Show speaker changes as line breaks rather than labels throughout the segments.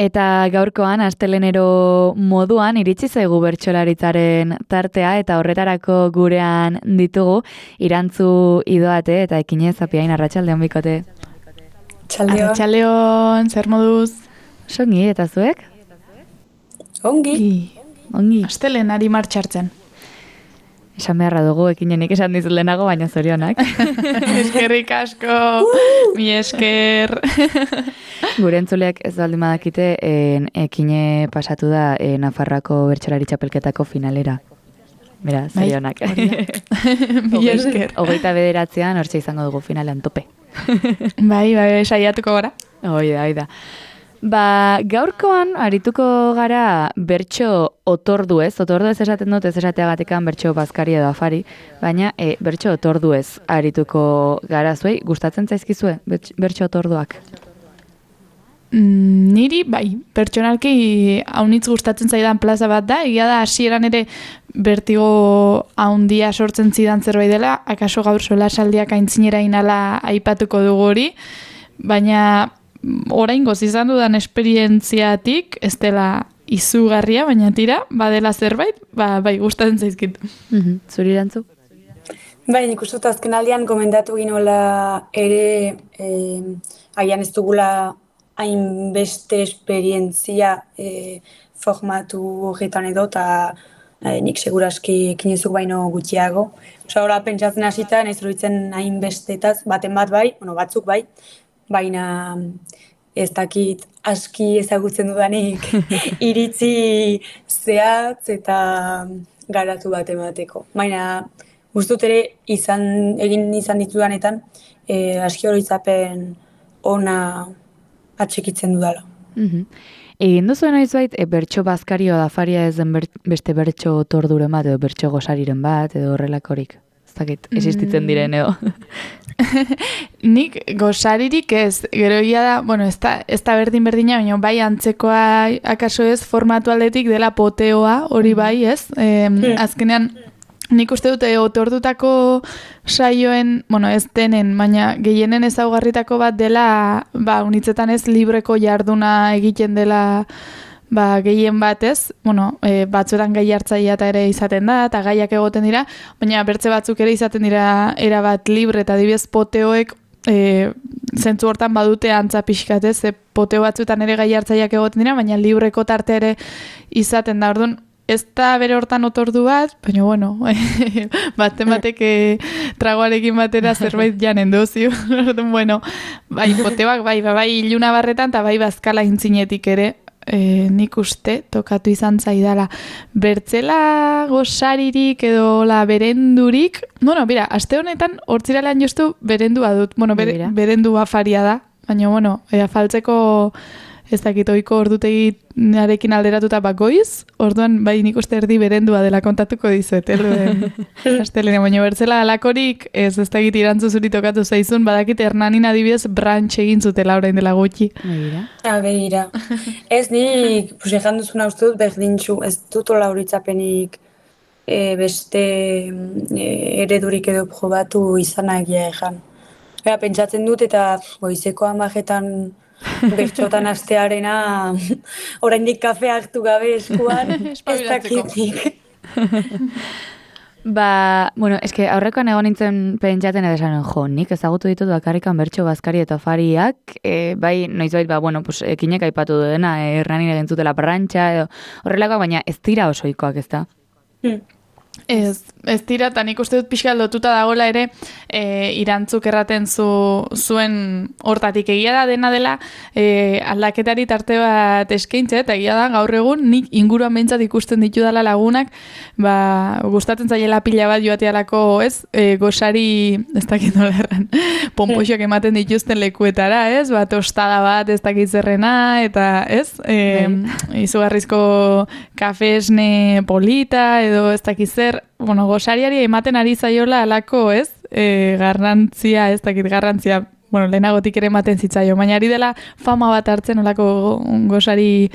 Eta gaurkoan, astelenero moduan, iritsi zaigu bertsolaritzaren tartea eta horretarako gurean ditugu Irantzu Idoate eta Ekinez Apiain. Arratsaldeon bikote.
Arratsaldeon, zer moduz?
Songi, eta zuek?
Ongi.
Astelenari martxartzen.
Esan beharra dugu, Ekinenik esan dizut lehenago, baina zorionak.
Eskerrik asko, mi esker.
Gure entzuleak ez baldin badakite, Ekine pasatu da Nafarroako bertsolari txapelketako finalera. Bera, zorionak.
Mi esker.
29an hortxe izango dugu finalean tope.
Bai, saiatuko gara.
Oida. Ba, gaurkoan arituko gara bertso otorduez esaten dut, ez esateagatikan bertso bazkari edo afari, baina bertso otorduez arituko gara zuei. Gustatzen zaizkizue bertso otorduak?
Niri, bai, pertsonalki haunitz gustatzen zaidan plaza bat da, egia da hasieran ere bertigo haundia sortzen zidan zerbait dela, akaso gaur solasaldiak aintzinera inala aipatuko dugu hori, baina oraingoz izan dudan esperientziatik, ez dela izugarria, baina tira, badela zerbait, bai, gustatzen zaizkit.
Zuri Irantzu?
Bai, nik uste dut azken aldian komendatu ginola ere agian ez dugula hainbeste esperientzia formatu horretan edo, eta nik seguraski Ekinezuk baino gutxiago. Hora pentsatzen hasita, nahiz eruditzen hainbestetaz, baten bat bai, batzuk bai, baina ez dakit aski ezagutzen dudanik iritzi zehatz eta garatu bat emateko. Baina gustut ere egin izan ditudanetan aski oroitzapen ona atxikitzen dudala.
Egin duzuen aizbait, bertso bazkario da afaria ez den beste bertso otorduren bat, edo bertso gosariren bat, edo horrelakorik? Ez dakit, existitzen diren edo.
Nik gosaririk ez, gero egia da, bueno, ez da berdina, baina bai antzekoa akaso ez formatu aldetik dela poteoa, hori bai ez. Azkenean, nik uste dute otordutako saioen, bueno, ez denen, baina gehienen ezaugarritako bat dela, unitzetan ez libreko jarduna egiten dela, gehien batez, bueno, batzuetan gai hartzailea eta ere izaten da, eta gaiak egoten dira, baina bertze batzuk ere izaten dira erabat libre, eta adibidez poteoek zentzu hortan badute antza pixkatez, poteo batzuetan ere gai hartzaileak egoten dira, baina libreko tarte ere izaten da, orduan, ez da bere hortan otordu bat, baina bueno, batek tragoarekin batera zerbait janen duzio. Bueno, bai, poteoak, bai, iluna barretan, eta bai bazkala intzinetik ere, nik uste tokatu izan zaidala. Bertzela gosaririk edo berendurik, bueno, bera, aste honetan hortziralean jostu berendua dut, bueno, berendu afaria da, baina, bueno, afaltzeko ez dakit oiko orduteginarekin alderatuta bakoiz, orduan bai nik uste erdi berendua dela kontatuko dizuet, astelene, baina bertzela alakorik ez dakit Irantzu zuri tokatu zaizun, badakit Hernanin adibidez brunch egin zutela orain dela gutxi.
Begira. Ez nik, ejan duzuna uste dut berdintxu, ez dut hola horitzapenik beste eredurik edo probatu izanagia ejan. Pentsatzen dut eta goizeko 10 bertxotan astearena oraindik kafe hartu gabe eskuan, ez dakitik.
Bueno, eske aurrekoan egon nintzen pentsatzen edo esan, nik ezagutu ditut bakarrikan bertso bazkari eta afariak, bai, noizbait, bueno, Ekinek aipatu duena, Hernanin egin zutela brantxa, edo horrelakoak, baina ez dira osoikoak, ez da?
Ez dira, eta nik uste dut pixka lotuta dagoela ere Irantzuk erraten zuen hortatik egia da dena dela aldaketari tarte bat eskaintze, eta egia da gaur egun nik inguruan behintzat ikusten ditudala lagunak, gustatzen zaiela pila bat joatealako ez, gosari, ez dakit nola erran, pompoxoak ematen dituzten lekuetara, ez, tostada bat ez dakit zerrena, eta ez, izugarrizko kafesne polita, edo ez dakit zer, bueno, gosariari ematen ari zaiola alako, ez? Garrantzia, ez dakit garrantzia, bueno, lehenagotik ere ematen zitzaio, baina ari dela fama bat hartzen olako gosari,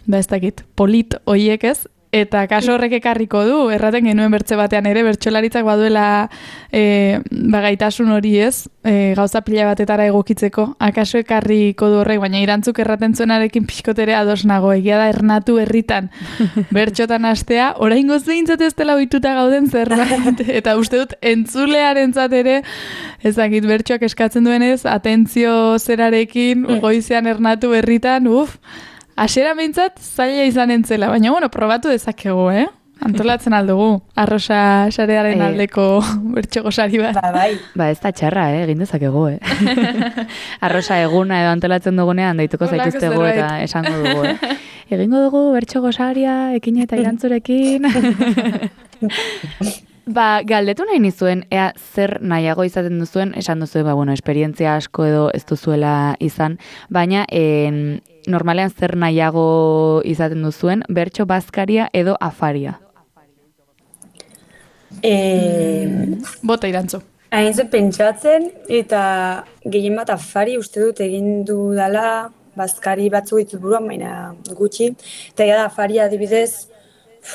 ez dakit, polit hoiek ez, Eta kaso horrek ekarriko du, erraten genuen bertze batean ere, bertsolaritzak baduela gaitasun hori ez, gauza pila batetara egokitzeko. Akaso ekarriko du horrek, baina irantzuk erraten zuenarekin pixkotere ados nago, egia da ernatu herritan bertxotan astea, oraingoz behintzat ez dela ohituta gauden zerbait, eta uste dut entzulearentzat ere, ezakit bertxoak eskatzen duenez, atentzio zerarekin, goizean ernatu herritan, Hasera behintzat zaila izan entzela, baina bueno, probatu dezakegu, Antolatzen aldugu, arrosa sarearen aldeko bertso gosari bat.
Bai.
Ez da txarra, egin dezakegu, Arrosa eguna edo antolatzen dugunean deituko zaituztegu eta esango dugu, Egingo dugu bertso gosaria, ekin eta irantzurekin. Galdetu nahi nizuen, ea zer nahiago izaten duzuen, esan duzu, esperientzia asko edo ez duzuela izan, baina normalean zer nahiago izaten duzuen, bertso bazkaria edo afaria?
Bota irantzu.
Hain zuen pentsatzen, eta gehien bat afari uste dut egin du dela, bazkari batzuk ditut buruan, baina gutxi. Eta da afaria adibidez,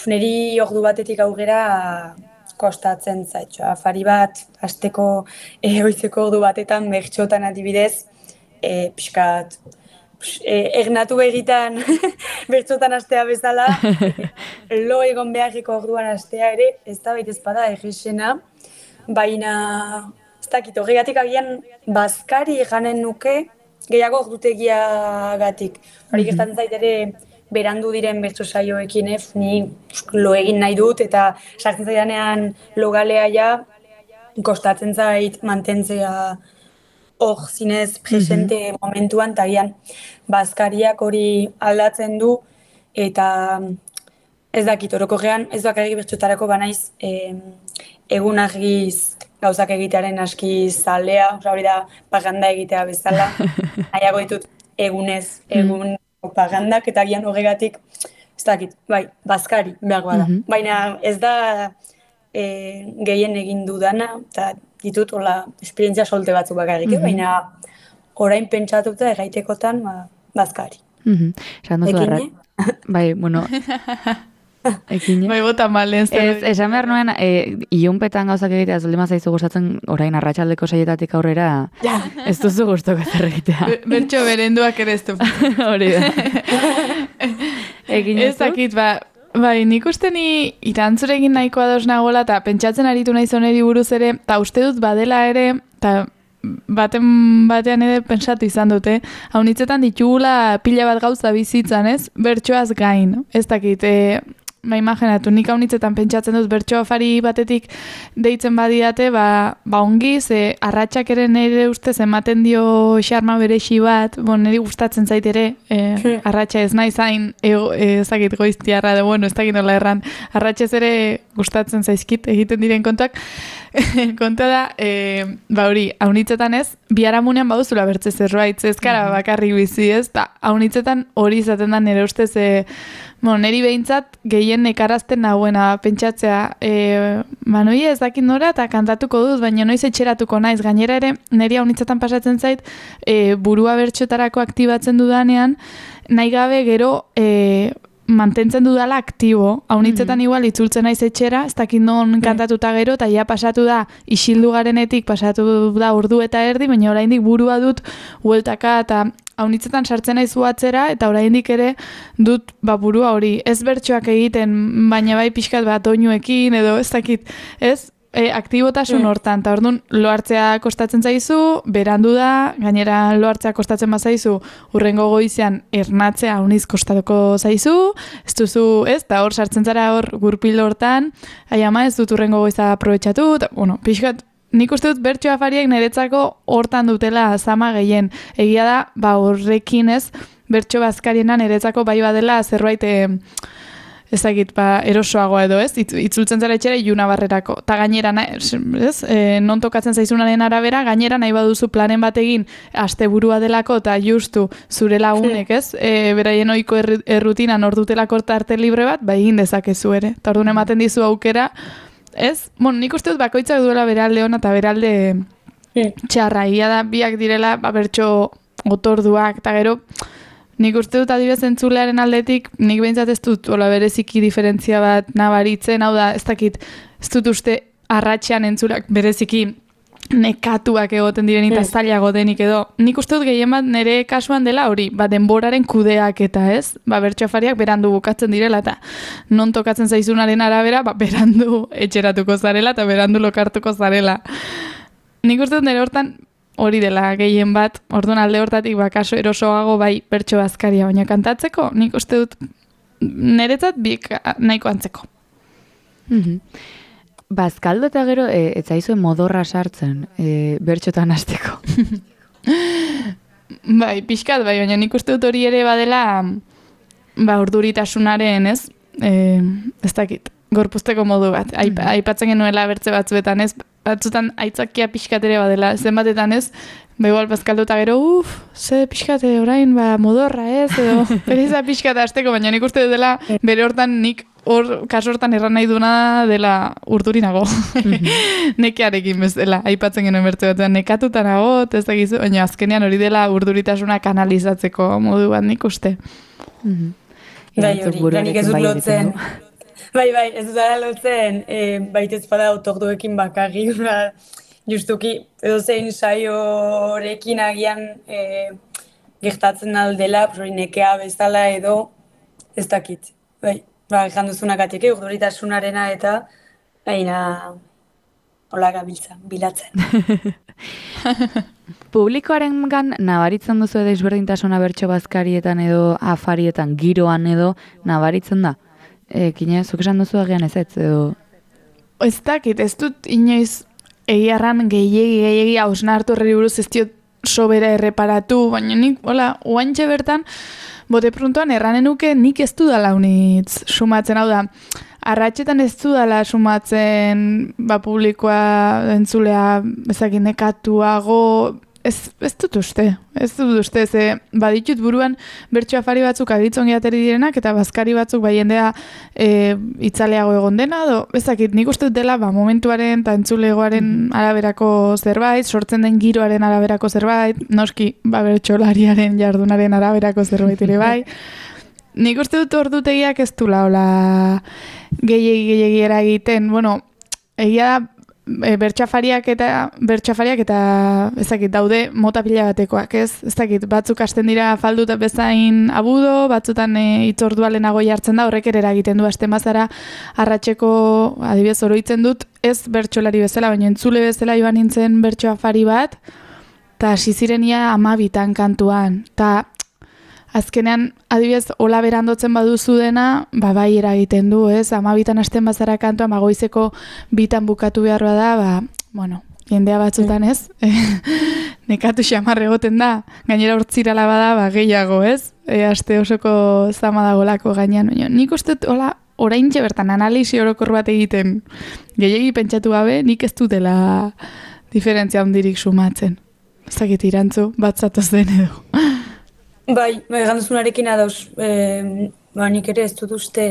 niri ordu batetik aurrera kostatzen zaitxo. Afari bat, hasteko goizeko ordu batetan, bertxotan adibidez, pixkat, ernatu begitan bertxotan astea bezala, lo egon beharriko orduan astea ere, ez da baita ezpada egisena, baina ez dakit, horregatik agian bazkari janen nuke gehiago ordutegiagatik. Hori gertatzen zait ere berandu diren bertso saioekin, ni lo egin nahi dut eta sartzen zaidanean logalea ja kostatzen zait mantentzea hor zinez presente momentuan, eta gian bazkariak hori aldatzen du, eta ez dakit, orokorrean, ez bakarrik bertsotarako banaiz egun argiz gauzak egitearen aski zalea, hori da paganda egitea bezala, nahiago ditut egunez, egun pagandak, eta gian horregatik, ez dakit, bazkari behar bada. Baina ez da gehien egin dudana, eta ditut hola esperientzia solte batzuk bakarrik, baina orain pentsatuta erraitekotan bazkari.
Ekine? Bai, bueno, ekine.
Bai, bota malen.
Esan behar nuen, ilunpetan gauzak egitea zoldima zaizu gustatzen orain arratsaldeko saietatik aurrera, ez duzu gustoko zer egitea.
Bertxo berenduak ere ez du.
Hori da. Ekine
ez dakit, bai, nik uste ni irantzurekin nahikoa dauz nagoela, eta pentsatzen aritu nahi zoneri buruz ere, eta uste dut badela ere, eta batean ere pentsatu izan dute, haunitzetan ditugula pila bat gauza bizitzan, ez? Bertsoaz gain, ez dakit, imaginatu, nik haunitzetan pentsatzen dut bertso afari batetik deitzen badidate, ongi, ze arratsak ere nire ustez ematen dio xarma berexi bat, niri gustatzen zait ere, arratsa ez nahi zain, ezakit goiztiarra, ez dakit nola erran, arratxez ere gustatzen zaizkit egiten diren kontuak, kontua da, hori, haunitzetan ez, biharamunean baduzula bertze zerbait, ez kara bakarrik bizi ez, eta haunitzetan hori izaten da nire ustez, niri behintzat gehien ekarazten nagoena pentsatzea, noi ez dakit nora eta kantatuko dut, baina noiz etxeratuko naiz, gainera ere niri haunitzetan pasatzen zait, burua bertxotarako aktibatzen dudanean, nahi gabe gero mantentzen dudala aktibo, haunitzetan igual itzultzen naiz etxera, ez dakit non kantatuta gero, eta ja pasatu da isildu garenetik, pasatu da ordu eta erdi, baina oraindik burua dut hueltaka eta haunitzetan sartzen naiz atzera, eta oraindik ere dut burua hori, ez bertsoak egiten, baina bai pixkat bat oinuekin, edo ez dakit, ez? Aktibotasun hortan, eta orduan lo hartzea kostatzen zaizu, berandu da, gainera lo hartzea kostatzen bazaizu, urrengo goizean ernatzea uniz kostatuko zaizu, ez duzu, ez, eta hor sartzen zara hor gurpil hortan, ama ez dut urrengo goiza aprobetxatu, eta, pixkat, nik uste dut bertso afariak niretzako hortan dutela zama gehien. Egia da, horrekin ez, bertso bazkariena niretzako bai badela zerbait ezagit, erosoagoa edo ez, itzultzen zara etxera iluna barrerako. Ta gainera, non tokatzen zaizunaren arabera, gainera nahi baduzu planen bat egin asteburua delako eta justu zure lagunek, ez? Beraien ohiko errutinan ordutelako arte libre bat, egin dezakezu ere. Eta orduan ematen dizu aukera, ez? Nik uste dut bakoitzak duela beralde ona eta beralde txarra. Ia da biak direla bertso otorduak, eta gero Nik uste dut adibidez entzulearen aldetik, nik behintzat ez dut hola bereziki diferentzia bat nabaritzen, hau da, ez dakit, ez dut uste arratsean entzuleak bereziki nekatuak egoten direnik eta zailago denik edo. Nik uste dut gehien bat nire kasuan dela hori, denboraren kudeak eta ez, bertsoafariak berandu bukatzen direla eta non tokatzen zaizunaren arabera, berandu etxeratuko zarela eta berandu lokartuko zarela. Nik uste dut nire hortan hori dela gehien bat, orduan alde hortatik kaso erosoago bai bertso bazkaria, baina kantatzeko, nik uste dut niretzat biek nahiko antzeko.
Bazkaldo eta gero, ez zaizuen modorra sartzen, bertxotan hasteko.
Bai, pixkat bai, baina nik uste dut hori ere badela, urduritasunaren, ez? Ez dakit, gorpuzteko modu bat. Aipatzen genuela bertze batzuetan, ez? Batzutan aitzakia pixkat ere badela, zenbatetan ez? Igual bazkaldo eta gero, ze pixkate orain, modorra, ez? Edo, pereza pixkat hasteko, baina nik uste dut dela, bere hortan nik kaso hortan erran nahi duna dela urdurinago. Nekearekin bezala, aipatzen genuen bertze batean, nekatuta nago, ez dakizu, baina azkenean hori dela urduritasuna kanalizatzeko modu bat nik uste.
Bai hori, nik ez dut lotzen. Bai, ez dut lotzen, baitez bada otorduekin bakarri, justuki, edo zein saiorekin agian gertatzen aldela, nekea bezala edo, ez dakit, bai. Ejan duzunagatik, urduritasunarena eta baina hola gabiltza, bilatzen.
Publikoaren gan nabaritzen duzu edo izberdintasuna bertso bazkarietan edo afarietan, giroan edo nabaritzen da? Kine, zuk esan duzu agian ez edo?
Ez dakit, ez dut inoiz egiarran gehiegi hausnartu herri buruz ez diot sobera erreparatu, baina nik, oantxe bertan, bote prontoan erranen nuke nik ez dudala unitz sumatzen, hau da, arratxetan ez dudala sumatzen publikoa entzulea ezakin nekatuago, ez dut uste, ze baditut buruan bertsoafari batzuk aditzongi ateri direnak eta bazkari batzuk jendea itzaleago egon dena, ezakit nik uste dut dela momentuaren eta entzulegoaren araberako zerbait, sortzen den giroaren araberako zerbait, noski bertsolariaren jardunaren araberako zerbait ere bai. Nik uste dut ordutegiak ez dula hola gehiegi eragiten, egia da bertsoafariak eta ezakit daude mota pila batekoak, ez dakit batzuk hasten dira falduta bezain abudo, batzutan itzordua lehenago jartzen da, horrek ere eragiten du hasten bazara arratseko adibidez oroitzen dut, ez bertsolari bezala, baina entzule bezala joan nintzen bertsoafari bat, eta hasi zirenia 12 kantuan, eta azkenean, adibidez, hola berandotzen baduzu dena, bai eragiten du, ez? 12 hasten bazara kantuan, goizeko 2 bukatu beharra da, jendea batzutan, ez? Nekatu xamar egoten da, gainera hortzirala bada, gehiago, ez? Aste osoko zama dagolako gainean. Nik uste dut, oraintxe bertan analisi orokor bat egiten, gehiegi pentsatu gabe, nik ez dutela diferentzia handirik sumatzen. Ez dakit irantzu, bat zatoz den edo.
Bai, ganduzunarekin adauz, nik ere ez dut uste,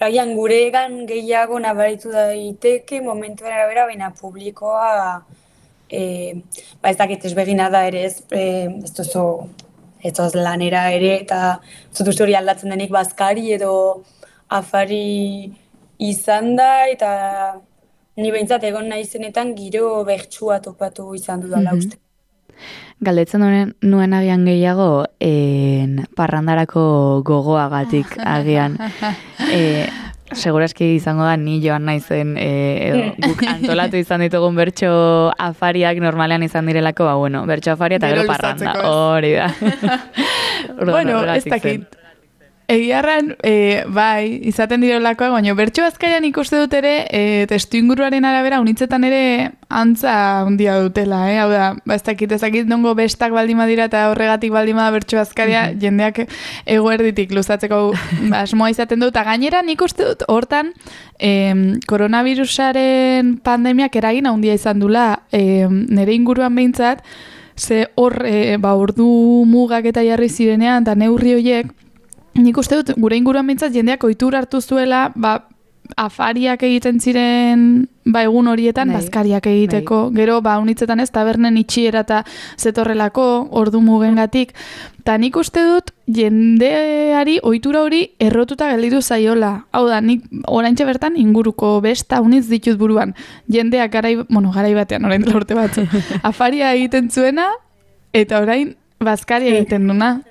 agian guregan gehiago nabaritu daiteke momentuaren arabera, baina publikoa, ez dakit ezbegina da ere ez duzu lanera ere, eta ez dut uste hori aldatzen denik bazkari edo afari izan da, eta ni behintzat egon nahi zenetan giro bertsua topatu izan dudala uste.
Galdetzen nuen agian gehiago parrandarako gogoagatik agian. Segurazki izango da ni joan naizen guk antolatu izan ditugun bertso afariak normalean izan direlako, bertso afaria eta gero parranda. Hori da.
Ez dakit. Egiarran, bai, izaten direlakoa, baina bertso azkaian ikuste dut ere, testu inguruaren arabera, unitzetan ere antza handia dutela, hau da, ez dakit nongo bestak baldin badira eta horregatik baldin bada bertso azkaria, jendeak eguerditik luzatzeko asmoa izaten dut, eta gainera nik uste dut hortan, koronavirusaren pandemiak eragin handia izan dula, nire inguruan behintzat, ze hor, ordu mugak eta jarri zirenean, eta neurri horiek, nik uste dut, gure inguruan bintzat jendeak ohitura hartu zuela, afariak egiten ziren egun horietan, bazkariak egiteko. Gero, unitzetan ez, tabernen itxiera eta zetorrelako, ordu mugengatik. Ta nik uste dut, jendeari ohitura hori errotuta gelditu zaiola. Hau da, nik oraintxe bertan inguruko besta unitz ditut buruan. Jendeak garai batean, orain dela urte batzu. Afaria egiten zuena, eta orain bazkaria egiten duna.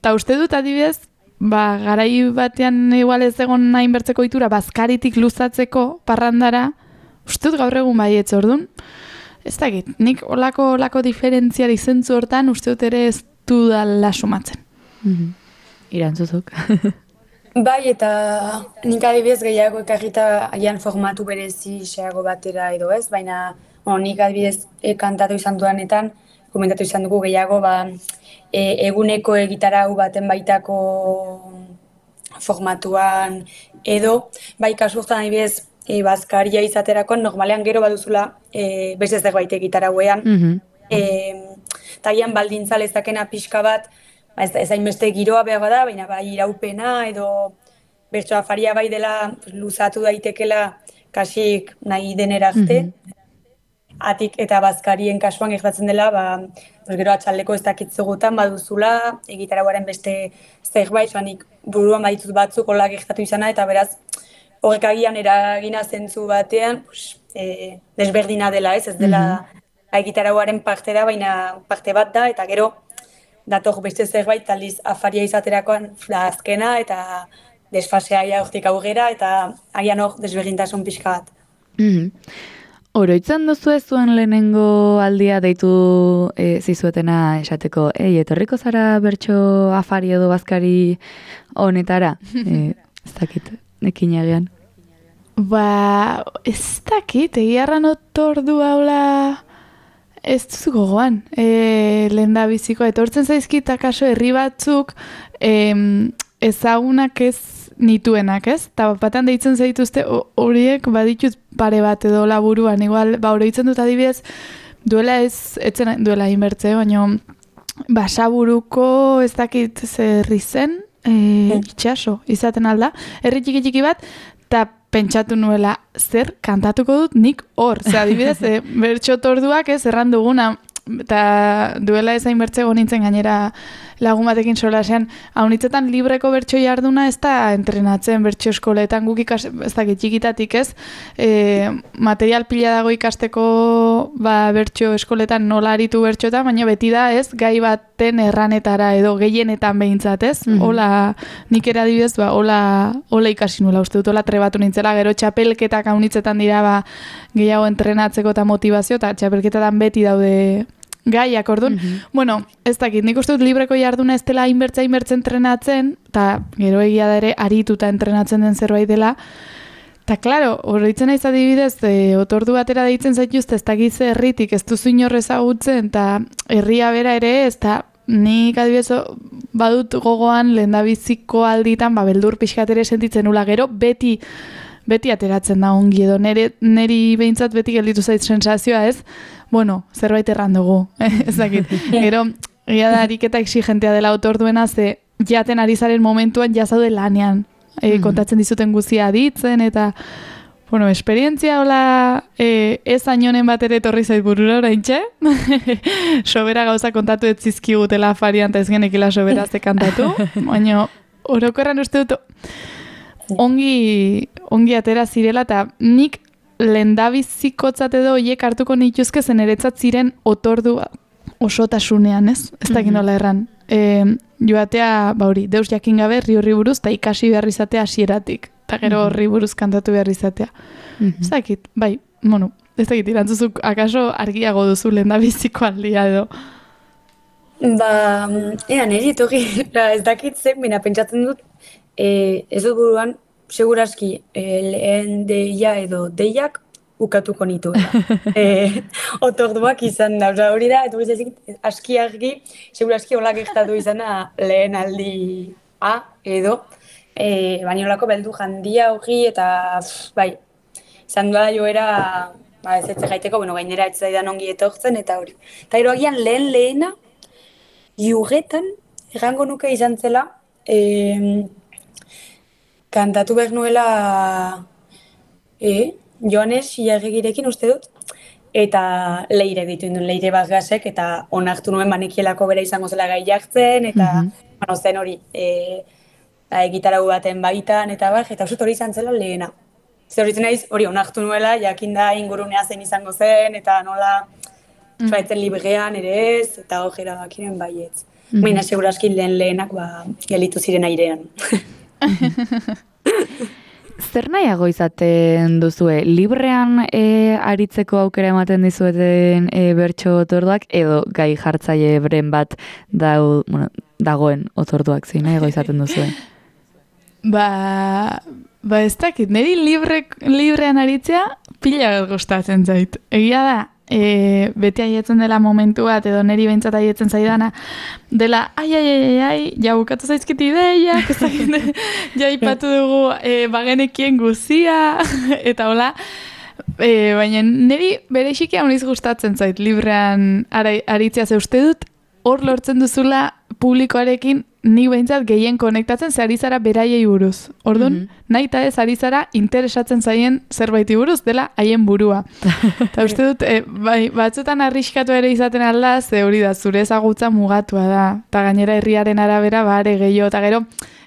Ta uste dut adibidez, garai batean igual ez egon nahin bertzeko ohitura bazkaritik luzatzeko parrandara, uste dut gaur egun baietz ordun. Ez dakit, nik olako diferentziari zentzu hortan uste dut ere ez dudala sumatzen.
Irantzuzuk.
Bai, eta nik adibidez gehiago ekarrita aian formatu berezi xeago batera edo ez, baina nik adibidez kantatu izan duanetan, komentatu izan dugu gehiago, eguneko egitarau baten baitako formatuan edo, kasu hortan adibidez, bazkaria izaterakoan normalean gero baduzula beste zerbait egitarauean. Taian baldintza lezakena pixka bat, ez hainbeste giroa behar bada, baina iraupena edo bertso afaria bai dela luzatu daitekela kasik nahi denera arte. Atik eta bazkarien kasuan gertatzen dela, gero atxaldeko ez dakitzugutan baduzula, egitarauaren beste zerbait, nik buruan baditut batzuk hola gertatu izana, eta beraz, horrek agian eragina zentzu batean, desberdina dela ez dela egitarauaren parte da, baina parte bat da, eta gero, dator beste zerbait, taliz afaria izaterakoan da azkena, eta desfasea hortik aurrera, eta agian hor desberdintasun pixka bat.
Oroitzen duzu ez zuen lehenengo aldia deitu zizuetena esateko, etorriko zara bertso afari edo bazkari honetara? Ez dakit, nekin egean.
Ez dakit, egiarran otordu haula ez duzu gogoan. Lehen da biziko, etortzen zaizkit akaso herri batzuk ezagunak ez nituenak, ez? Eta batean deitzen zaituzte horiek baditut pare bat edo laburuan, igual, oroitzen dut adibidez, duela inbertze, baina Basaburuko ez dakit zerri zen, itxaso, izaten alda, herri txiki bat, eta pentsatu nuela, zer kantatuko dut nik hor. Zer, adibidez, bertso torduak ez erran duguna, eta duela ezain bertzego nintzen gainera lagun batekin solasean, haunitzetan libreko bertso jarduna ez da entrenatzen bertso eskoletan guk ez dakit txikitatik ez, material pila dago ikasteko bertso eskoletan nola aritu bertxotan, baina beti da ez, gai baten erranetara edo gehienetan behintzat ez, hola nik eradibidez, hola ikasi nula uste dut, hola trebatu nintzela, gero txapelketak haunitzetan dira gehiago entrenatzeko eta motivazio, eta txapelketatan beti daude gaiak, orduan. Bueno, ez dakit, nik uste dut libreko jarduna ez dela inbertza entrenatzen, eta gero egia da ere arituta entrenatzen den zerbait dela. Eta, klaro, horretzen naiz adibidez, otordu batera deitzen zaituzte, ez dakit ze herritik, ez duzu inorrez agutzen, eta herria bera ere, ez da, nik adibidez badut gogoan lehendabiziko alditan, beldur pixkat ere sentitzen nula, gero beti ateratzen da ongi edo, neri behintzat beti gelditu zait sensazioa ez, bueno, zerbait erran dugu, ez dakit. Gero, egia da ariketa exigentea dela otorduena, ze jaten ari zaren momentuan jazaude lanean, kontatzen dizuten guzia aditzen, eta, bueno, esperientzia hola ez ainonen bat ere etorri zait burura oraintxe, sobera gauza kontatu ez zizkigutela afarian, eta ez genekila sobera ze kantatu, baina orokorran uste dut, ongi atera zirela, eta nik lehendabizikotzat edo hiek hartuko nituzke zen eretzat ziren otordu osotasunean, ez? Ez dakit nola erran. Joatea, hori, deus jakin gabe horri buruz, eta ikasi behar izatea hasieratik. Eta gero horri buruz kantatu behar izatea. Ez dakit, bueno, ez dakit, irantzuzuk akaso argiago duzu lehendabiziko aldia edo.
Neri etorri, ez dakit zen, bina pentsatzen dut, ez dut buruan, seguraski lehen deia edo deiak ukatuko nituela. Otorduak izan da, hori da, aski argi, seguraski hola gertatu izana lehen aldi edo, baina holako beldu jandia hori eta izan duela joera ez gaiteko, gainera ez zaidan ongi etortzen eta hori. Eta agian lehena, jugetan, errango nuke izan zela, kantatu behar nuela Joanes Ilargirekin uste dut, eta Leire ditu induen, Leire Bazgasek, eta onartu nuen banekielako bera izango zela gai jartzen, eta bueno, zen hori, gitarau baten baitan, eta eta uste hori izan zela lehena. Zer hori naiz, hori onartu nuela, jakinda ingurunea zen izango zen, eta nola zaitzen librean ere ez, eta hojera bakinen baietz. Baina seguraski lehenak gelitu ziren airean.
Zer nahiago izaten duzue? Librean aritzeko aukera ematen dizueten bertso otorduak, edo gai jartzaile beren bat dagoen otorduak, zein nahiago izaten duzue?
Ba ez dakit, niri librean aritzea pila gustatzen zait. Egia da, beti aietzen dela momentu bat, edo niri behintzat aietzen zaidana, dela, ai, ja bukatu zaizkit ideiak, ez dakit, ja ipatu dugu bagenekien guzia, eta hola, baina niri bereziki hauniz gustatzen zait librean aritzea, ze uste dut, hor lortzen duzula publikoarekin ni behintzat gehien konektatzen ze ari zara beraiei buruz. Orduan, nahi eta ez ari zara interesatzen zaien zerbaiti buruz dela haien burua. Eta uste dut, batzutan arriskatu ere izaten alda, ze hori da, zure ezagutza mugatua da. Eta gainera herriaren arabera, are gehiago. Eta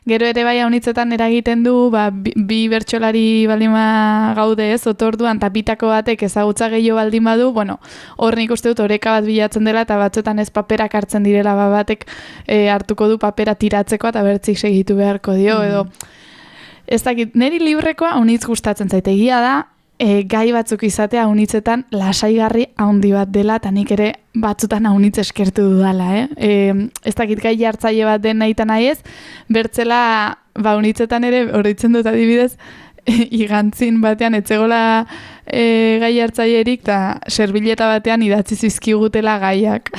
gero ere bai haunitzetan eragiten du, bi bertsolari baldima gaude ez, otorduan, eta bitako batek ezagutza gehiago baldin badu, bueno, hor nik uste dut oreka bat bilatzen dela, eta batzutan ez paperak hartzen direla, batek hartuko du papera tiratzeko, eta bertzik segitu beharko dio, edo, ez dakit, niri librekoa haunitz gustatzen zaite, egia da, gai batzuk izatea haunitzetan lasaigarri handi bat dela, eta nik ere batzutan haunitz eskertu dudala, ez dakit gai jartzaile bat den nahi eta nahi ez, bertzela haunitzetan ere horretzen dut adibidez, igantzin batean etzegola gai hartzailerik, eta serbileta batean idatzi zizkigutela gaiak,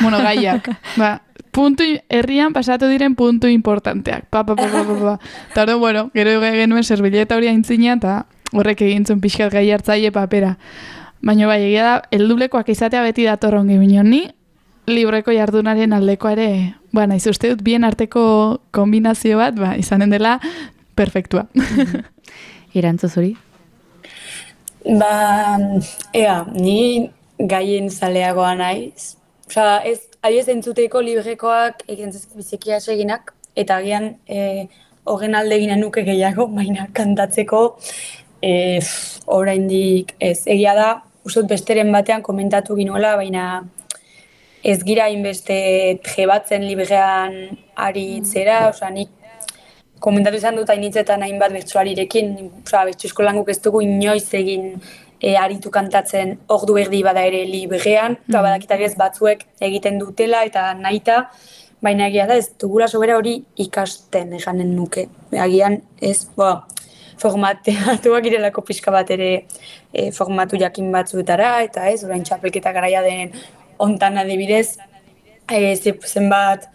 herrian pasatu diren puntu importanteak, eta bueno, gero genuen serbileta hori aintzina, eta horrek egintzun pixkat gai hartzaile papera. Baina bai, egia da, heldulekoak izatea beti dator ongi bino. Ni libreko jardunaren aldekoa ere, nahiz uste dut bien arteko kombinazio bat, izanen dela perfektua.
Irantzu zuri?
Ni gaien zaleagoa naiz. Osa, ez entzuteko librekoak egin bizikia seginak, eta agian horren alde ginen nuke gehiago, baina kantatzeko oraindik ez. Egia da, usut besteren batean komentatu ginoela, baina ez gira inbeste jebatzen librean aritzera, osea, nik komentatu izan dut hainitzetan hainbat bertsolarirekin, osea, bertso languk ez dugu inoiz egin aritu kantatzen ordu erdi bada ere librean, eta badakitariez batzuek egiten dutela eta nahita, baina egia da ez dugula sobera hori ikasten eganen nuke. Agian ez, formateatuak irelako pixka bat ere formatu jakin batzuetara, eta ez, orain txapelketa garaia den ontan adibidez, zenbat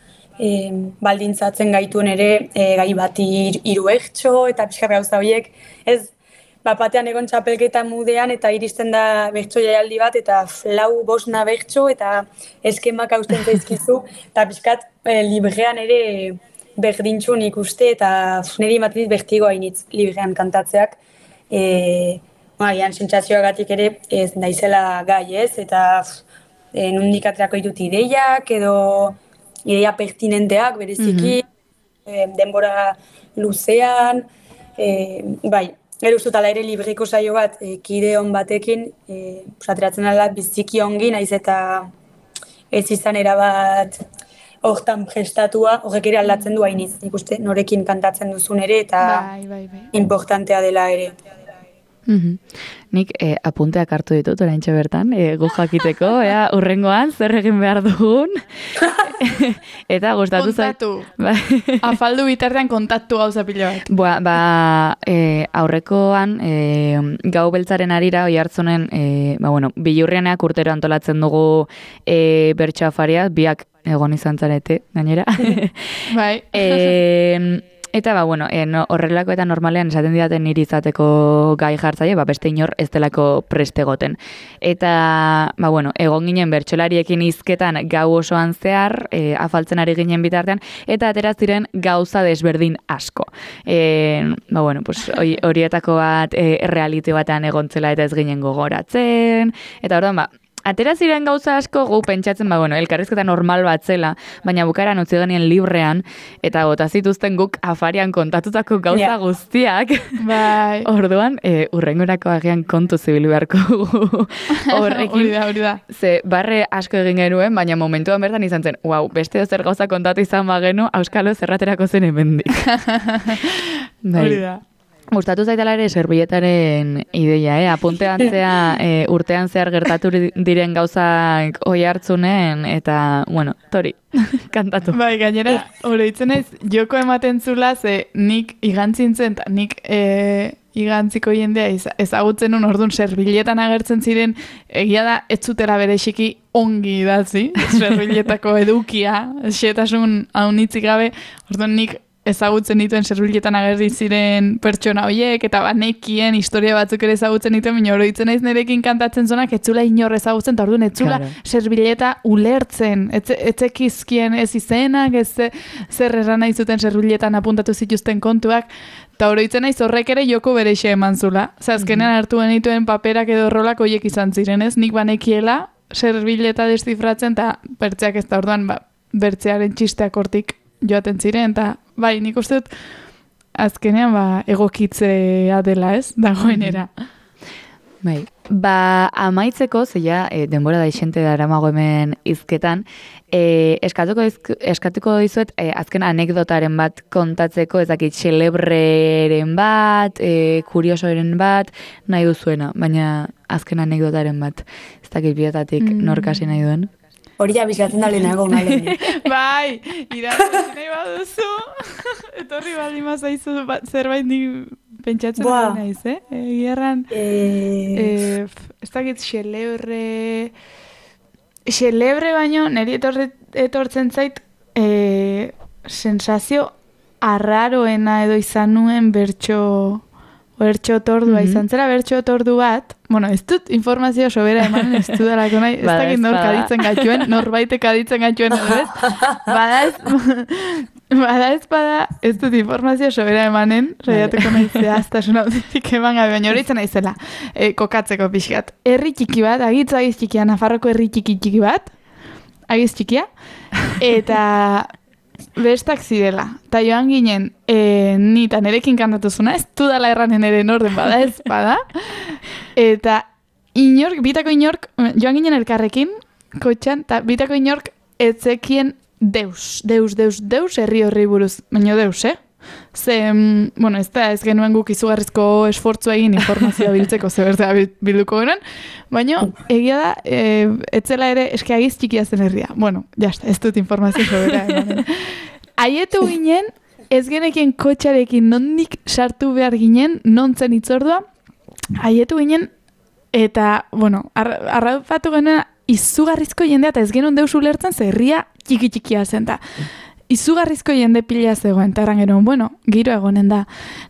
baldintzatzen gaituen ere gai bati 3 ertxo, eta pixka gauza horiek, ez, batean egon txapelketa mudean eta iristen da bertso jaialdi bat eta 4-5 bertso eta eskemak hausten zaizkizu eta pixkat librean ere berdintxu nik uste eta niri ematen dit bertigo hainitz librean kantatzeak. Gian sentsazioagatik ere ez naizela gai ez eta nondik aterako ditut ideiak edo ideia pertinenteak bereziki denbora luzean, Gero uste ere libreko saio bat, kide hon batekin, ateratzen ala biziki ongi, naiz eta ez izan erabat hortan prestatua, horrek ere aldatzen du hainiz, nik uste norekin kantatzen duzun ere, eta importantea dela ere.
Nik apunteak hartu ditut oraintxe bertan, gu jakiteko, urrengoan zer egin behar dugun. Eta gustatu zait.
Kontatu. Afaldu bitartean kontaktu gauza pila
bat. Aurrekoan, gau beltzaren arira, Oiartzunen, Bilurrianeak urtero antolatzen dugu bertso afaria, biak egon izan zarete, gainera.
Bai.
Eta, bueno, horrelako eta normalean esaten didaten niri izateko gai jartzaile, beste inor ez delako prestegoten. Eta, bueno, egon ginen bertsolariekin hizketan gau osoan zehar, afaltzen ari ginen bitartean, eta atera ziren gauza desberdin asko. Bueno, pues, horietako bat reality batean egontzela eta ez ginen gogoratzen, eta orduan, atera ziren gauza asko gu pentsatzen, bueno, elkarrizketa normal bat zela, baina bukaeran utzi genien librean, eta bota zituzten guk afarian kontatutako gauza guztiak.
Bai.
Orduan, urrengorako agian kontu zibil beharko gu.
Hori da.
Ze barre asko egin genuen, baina momentuan bertan izan zen, beste dozer gauza kontatu izan bagenu, auskalo zerraterako zen hemendik.
Hori da.
Gustatu zaitala ere serbilletaren ideia, apunteantzea urtean zehar gertatu diren gauzak oi hartzunen, eta, bueno, tori, kantatu.
Bai, gainera, oroitzen naiz, joko ematen zula, ze nik igantzintzen, nik igantziko jendea ezagutzen un orduan serbiletan agertzen ziren, egia da, ez zutela berexiki ongi idatzi, serbiletako edukia, xetasun haunitzik gabe, orduan nik ezagutzen dituen serbiletan agerri ziren pertsona horiek, eta banekien historia batzuk ere ezagutzen dituen, baina oroitzen naiz nerekin kantatzen zonak, etzula inor ezagutzen, eta orduan etzula serbileta ulertzen, etzekizkien ez izenak, ez zer erran nahi zuten serbiletan apuntatu zituzten kontuak, eta oroitzen naiz horrek ere joko bereixe eman zula. Azkenean hartu genituen paperak edo rolak horiek izan ziren, ez? Nik banekiela serbileta destifratzen, eta bertzeak ez da orduan, bertzearen txisteak hortik joaten ziren, eta bai, nik uste dut azkenean egokitzea dela, ez? Dagoenera.
Bai. Amaitzeko, zeia, denbora da isente daramago hemen hizketan, eskatuko dizuet, azken anekdotaren bat kontatzeko, ez dakit, xelebreren bat, kuriosoren bat, nahi duzuena, baina azken anekdotaren bat, ez dakit bietatik norkasi nahi duen.
Hori ja bizatzen da lehenago, malen.
Bai, iratzen nahi baduzu, etorri baldin mazaizu zerbait nik pentsatzen nahi naiz, Gierran, ez dakit xelebre baino, niri etortzen zait, sensazio arraroena edo izan nuen bertso otordua izan zera, bertso otordu bat, bueno, ez dut informazio sobera emanen ez dudalako nahi, ez dakit nor kaditzen gatxuen, norbaitek kaditzen gatxuen, ez dut informazio sobera emanen, rediatuko nahi zehaztasun auditik eman gabe, baina horitzen nahi zela, kokatzeko pixkat. Herri txiki bat, agiz txikia, Nafarroko herri txiki bat, agiz txikia, eta bestak zirela. Ta joan ginen, ni eta nerekin kantatu zuna, ez dudala erranen ere norden bada, ez bada. Eta bitako inork, joan ginen elkarrekin, kotxan, eta bitako inork etzekien deus herri horri buruz. Baina deus, Ze, bueno, ez genuen guk izugarrizko esfortzua egin informazioa biltzeko zebertea bilduko genuen, baina egia da, etzela ere eskiagiz txikia zen herria. Bueno, jazta, ez dut informazio zebera. Aietu ginen, ez genekien kotxarekin nondik sartu behar ginen, nontzen itzordua, aietu ginen, eta, bueno, arrapatu genuen izugarrizko jendea, eta ez genuen deus ulertzen, ze herria txikia zen, eta izugarrizko jende pila zegoen, eta erran genuen, bueno, giro egonen da.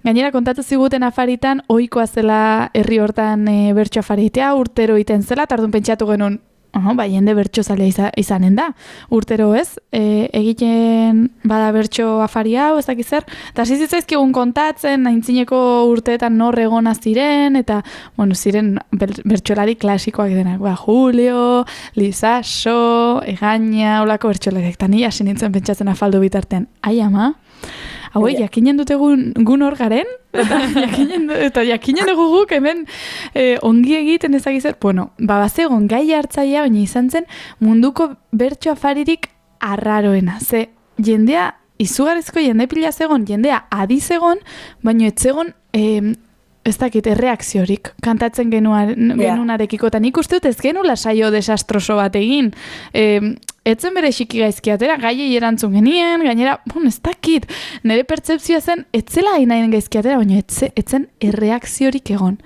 Gainera kontatu ziguten afaritan, ohikoa zela herri hortan bertso afaritea, urtero iten zela, eta orduan pentsatu genuen, jende bertso zalea izanen da. Urtero ez, egiten bada bertso afari hau, ez dakiz zer, eta zizitzaizkigun kontatzen, aintzineko urteetan nor egona ziren, eta, bueno, ziren bertsolari klasikoak denak, Julio, Lizaso, Egaña, olako bertsolariak, eta ni hasi nintzen pentsatzen afaldu bitartean. Ai, ama, hauei, jakinen dut gun hor garen, eta jakinen dugu guk hemen ongi egiten ezagizar. Bueno, bazegon gai hartzaia, baina izan zen munduko bertso afaririk arraroena. Ze jendea, izugarrizko jende pila zegon, jendea adi zegon, baina ez zegon, ez dakit, erreakziorik kantatzen genunarekiko. Eta nik uste dut ez genula saio desastroso bat egin. Etzen bere xiki gaizki atera, gaiei erantzun genien, gainera, ez dakit, nire pertzepzioa zen, etzela hainainen gaizki atera, baina etzen erreakziorik egon,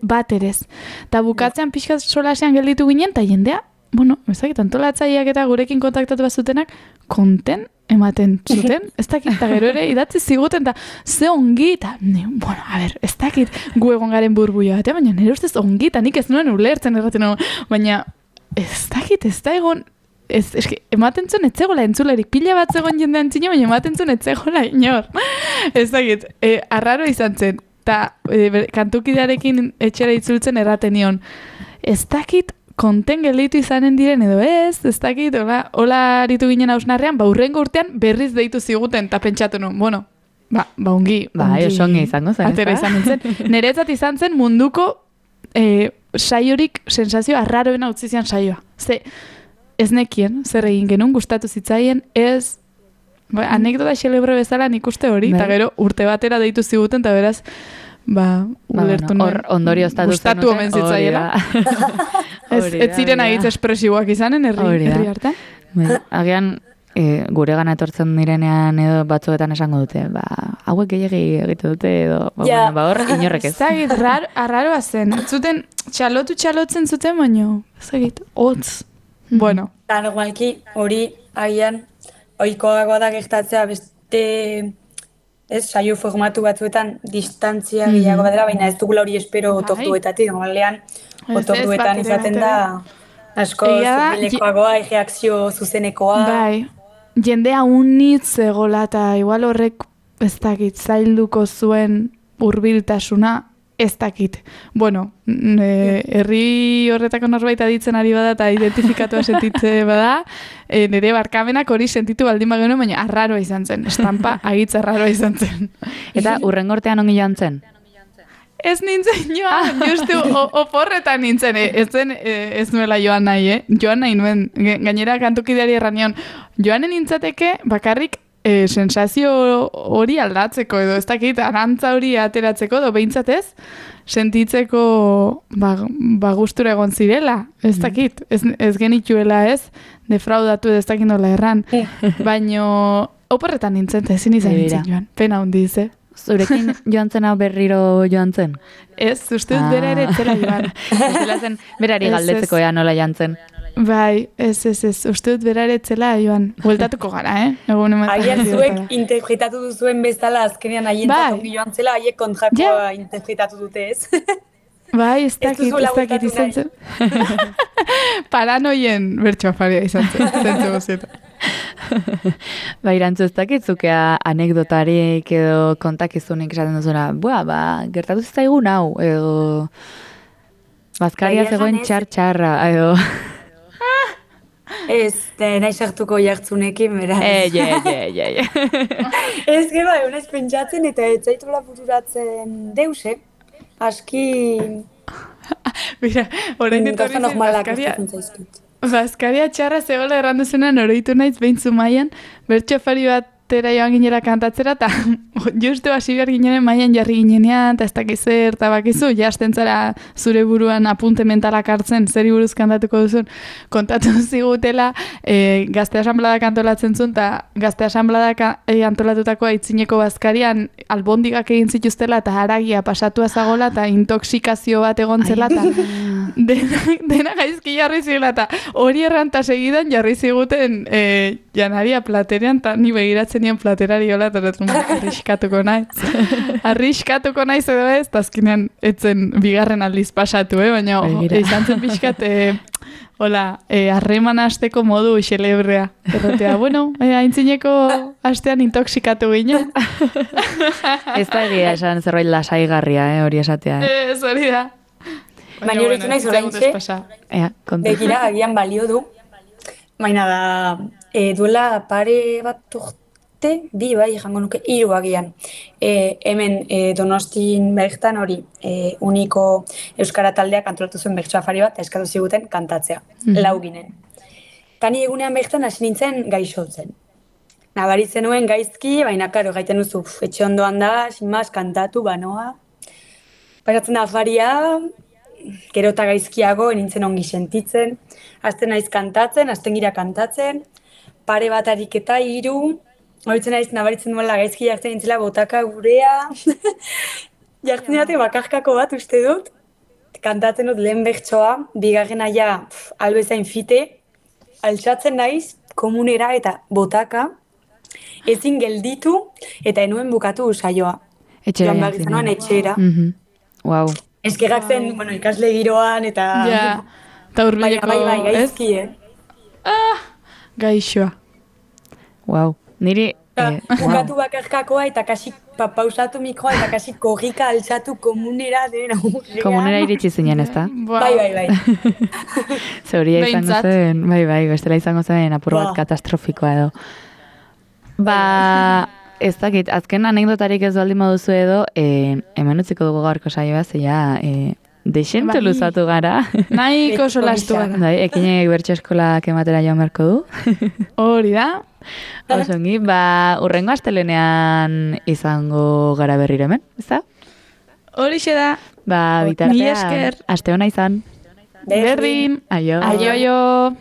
bat erez. Eta bukatzean pixkat solasean gelditu ginen, eta jendea, ez dakit, antolatzaileak eta gurekin kontaktatu bazutenak, konten ematen zuten, ez dakit, eta gero ere idatzi ziguten, eta ze ongi, eta, bueno, a ber, ez dakit gu egon garen burbuia, eta baina nire ustez ongi, eta nik ez nuen ulertzen erraten, baina ez dakit, ez da egon, ematen zuen etzegola entzulerik, pila bat zegoen jendean txina, baina ematen zuen etzegola inor. Ez dakit, arraro izan zen, eta kantukidearekin etxera itzultzen erraten nion. Ez dakit, konten gelditu izanen diren edo ez dakit, hola aritu ginen hausnarrean, urrengo urtean berriz deitu ziguten, eta pentsatu nuen, bueno, ongi.
Oso ongi izango zen.
Atera izan zen. Neretzat izan zen munduko saiorik sensazio arraroena utzi zian saioa. Ez nekien, zer egin genuen, gustatu zitzaien, ez, anekdota xelebre bezala nik uste hori, eta gero urte batera deitu ziguten, eta beraz, ulertu nuen.
Ondorio
gustatu omen zitzaiela. Ez ziren agitz espresiboak izanen, herri hartan.
Agian, gure gana etortzen direnean edo batzuetan esango dute, hauek gehiagi egite dute edo, hor inorrek ez.
Zagit, arraroa zen, zuten txalotzen zuten, baino, zagit, hotz. Bueno.
Eta normalki hori agian ohikoagoa da gertatzea beste saio formatu batzuetan distantzia gehiago badera, baina ez dugula hori espero otorduetatik. Normalean otorduetan izaten da asko zubilekoagoa, reakzio zuzenekoa.
Bai, jendea unitz egola eta igual horrek ez dakit zailduko zuen hurbiltasuna. Ez dakit. Bueno, herri horretako norbait aditzen ari bada eta identifikatua sentitze bada, nire barkamenak hori sentitu baldin bagenu, baina arraroa izan zen. Estampa agitz arraroa izan zen.
Eta urrengortean ongi joan zen?
Ez nintzen joan, justu oporretan nintzen, ez nuela joan nahi, joan nahi nuen, gainera kantukideari erranion, joanen nintzateke bakarrik sensazio hori aldatzeko edo ez dakit arantza hori ateratzeko edo behintzatez sentitzeko gustura egon zirela, ez dakit ez genituela ez defraudatu ez dakit nola erran baino oporretan nintzen ezin izan nintzen joan, pena hundiz
Zurekin joan zen hau berriro joan zen?
Ez, uste dut bera ere etzela joan.
Berari galdetzeko nola joan zen.
Bai, ez, uste dut bera ere etzela joan. Bueltatuko gara,
Agian zuek interpretatu duzuen bezala azkenean haientzat ongi joan zela, haiek kontrakoa interpretatu dute ez.
Bai, ez dakit izan zen. Paranoien bertsoa faria izan zen, zentzu gozietan.
Irantzu ez dakitzukea anekdotarik edo kontakizunik esaten duzuna, gertatu zitzaigun hau, edo bazkaria zegoen txar-txarra, edo...
Ez, nahi sartuko jartzunekin, beraz. Ez gero, egon ez pentsatzen eta ez zaitula bururatzen deuse, aski...
Mira, orain
etorri zen bazkaria...
Bazkaria txarra zegoela erranduzunan oroitu naiz behin Zumaian, bertso afari batera joan ginera kantatzera, eta justu hasi behar ginenen maian jarri ginenean, eta ez dakizer, eta bakizu, jasten zara zure buruan apunte mentalak hartzen, zeri buruz kantatuko duzun, kontatu zigutela, gazte asanbladak antolatzen zuen, eta gazte asanbladak antolatutako aitzineko bazkarian albondigak egin zituztela, eta haragia pasatua zagola, eta intoxikazio bat egon zela, eta dena gaizki jarri zigela, eta hori erranta segidan jarri ziguten janaria platerean, eta ni begiratzen nian platerari hola, eta arriskatuko naiz edo ez, eta azkenean etzen bigarren aldiz pasatu, baina izan zen pixkat harreman hasteko modu xelebrea. Erratea, aintzineko hastean intoxikatu ginen.
Ez da egia esan zerbait lasaigarria, hori esatea.
Ez hori da.
Baina horretu nahi zoraintxe, begira agian balio du, baina da, duela pare bat urte, bi jango nuke, 3 agian. Hemen Donostin bertan hori, uniko euskara taldeak antolatu zuen bertso afari bat, eskatu ziguten kantatzea, 4 ginen. Tani egunean bertan hasi nintzen gaixotzen. Nabaritzen nuen gaizki, baina karo, gaiten duzu, etxe ondoan da, sinmaz, kantatu, banoa. Pasatzen da afaria, gero eta gaizkiago, nintzen ongi sentitzen, hasten naiz kantatzen, hasten gira kantatzen, pare bat ariketa 3, horitzen naiz nabaritzen duela gaizki jartzen nintzela botaka gurea, jartzen dute bakarkako bat uste dut, kantatzen dut lehen bertsoa, bigarren aia albezain fite, altxatzen naiz komunera eta botaka, ezin gelditu eta enuen bukatu saioa.
Etxera
Joan behar izan etxera.
Wow.
Eskerrak zen, bueno, ikasle giroan eta...
Ja, eta hurbileko,
bai, gaizki,
Gaixoa.
Wow. Niri...
Bukatu bakarkakoa eta kasi pausatu mikroa eta kasi korrika altzatu komunera den aurrean.
Komunera iritsi zinen, ez da?
Bai.
Zeuria izango zen, bai, bestela izango zen apur bat katastrofikoa edo. Ez dakit, azken anekdotarik ez baldin baduzu edo, hemen utziko dugu gaurko saioa, zeia, deixentu luzatu gara.
Nahiko solastu gara.
Bai, ekinek bertso eskolak ematera joan beharko du.
Hori da.
Osongi, urrengo astelenean izango gara berriro hemen, ez da?
Horixe da.
Bitartean, aste hona izan.
Berdin.
Aio.
Aio.